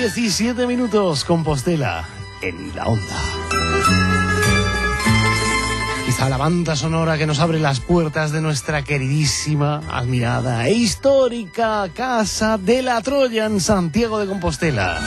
17 minutos, Compostela en la onda. Quizá la banda sonora que nos abre las puertas de nuestra queridísima, admirada e histórica Casa de la Troya en Santiago de Compostela.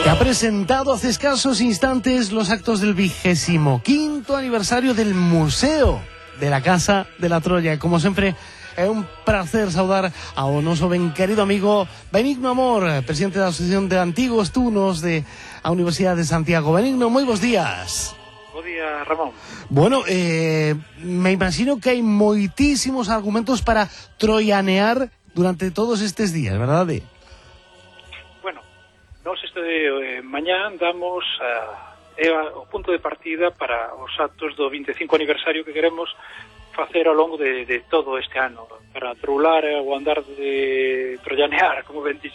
Que ha presentado hace escasos instantes los actos del 25º aniversario del Museo de la Casa de la Troya. Como siempre, é un placer saudar ao noso ben querido amigo Benigno Amor, presidente da Asociación de Antigos Tunos de a Universidade de Santiago. Benigno, moi bons días. Bo día, Ramón. Bueno, me imagino que hai moitísimos argumentos para troianear durante todos estes días, verdade? Bueno, nós mañán damos o punto de partida para os actos do 25 aniversario que queremos facer ao longo de todo este ano, para trular o andar de trollanear, como ben dix.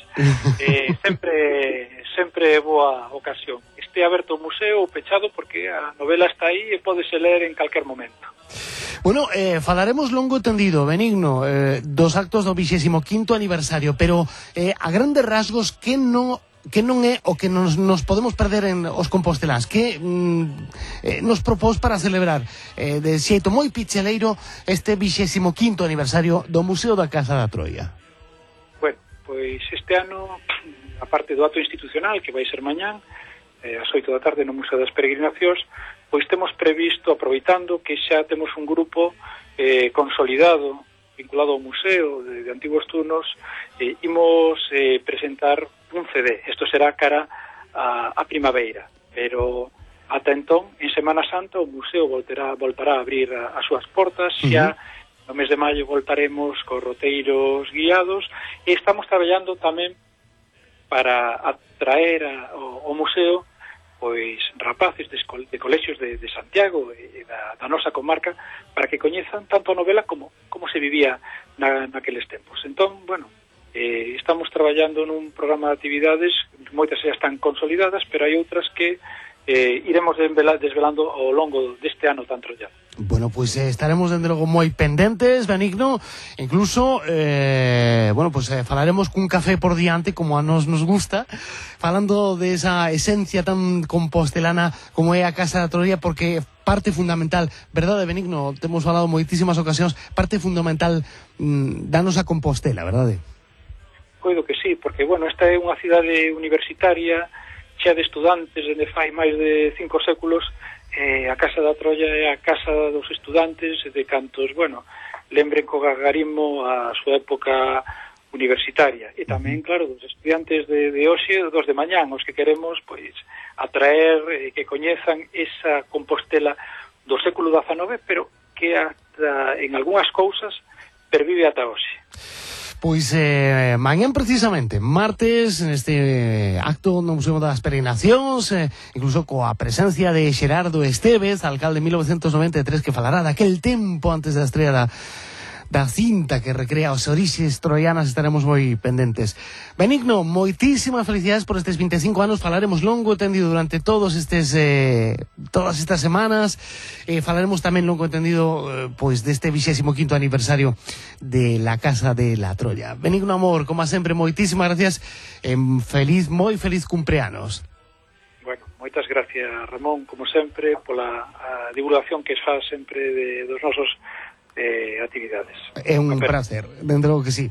sempre é boa ocasión. Este aberto o museo ou pechado, porque a novela está aí e pódese ler en calquer momento. Bueno, falaremos longo tendido, Benigno, dos actos do 25º aniversario, pero a grandes rasgos, que non é o que nos podemos perder en os compostelás? Que nos propós para celebrar de xeito moi picheleiro este 25º aniversario do Museo da Casa da Troia? Bueno, pois este ano, a parte do acto institucional, que vai ser mañán, ás 8 da tarde no Museo das Peregrinacións, pois temos previsto, aproveitando que xa temos un grupo consolidado, vinculado ao museo de Antigos Tunos, imos presentar un CD. Isto será cara a primavera, pero ata entón, en Semana Santa, o museo voltará a abrir as súas portas. Xa no mes de maio voltaremos cos roteiros guiados, e estamos traballando tamén para atraer ao museo pois rapaces de colexios de Santiago e da nosa comarca, para que coñezan tanto a novela como se vivía naqueles tempos. Entón, bueno, estamos traballando nun programa de actividades, moitas xa están consolidadas, pero hai outras que iremos desvelando ao longo deste ano tan trollano. Bueno, pues estaremos dende logo moi pendentes, Benigno, incluso falaremos cun café por diante, como a nos gusta, falando de esa esencia tan compostelana como é a Casa da Troia, porque parte fundamental, verdade, Benigno, temos falado moitísimas ocasións, parte fundamental da nosa Compostela, verdade? Coido que sí, porque, bueno, esta é unha cidade universitaria chea de estudantes dende fai máis de 5 séculos. A Casa da Troia é a casa dos estudantes, de cantos, bueno, lembren co gargarismo a súa época universitaria, e tamén, claro, dos estudiantes de hoxe, dos de mañán, os que queremos, pois, atraer, que coñezan esa Compostela do século XIX, pero que en algunhas cousas pervive ata hoxe. Pois mañán precisamente, martes, neste acto no Museo das Peregrinacións, incluso coa presencia de Xerardo Estévez, alcalde de 1993, que falará daquel tempo antes da estrela da cinta que recrea os orixes troianas. Estaremos moi pendentes. Benigno, moitísimas felicidades por estes 25 anos. Falaremos longo e tendido durante todas estas semanas. Falaremos tamén longo e tendido pois deste 25º aniversario de la Casa de la Troya. Benigno Amor, como sempre, moitísimas gracias. Moi feliz cumpleanos. Bueno, moitas gracias, Ramón, como sempre, pola divulgación que faz sempre dos nosos actividades. É un placer, dentro que sí.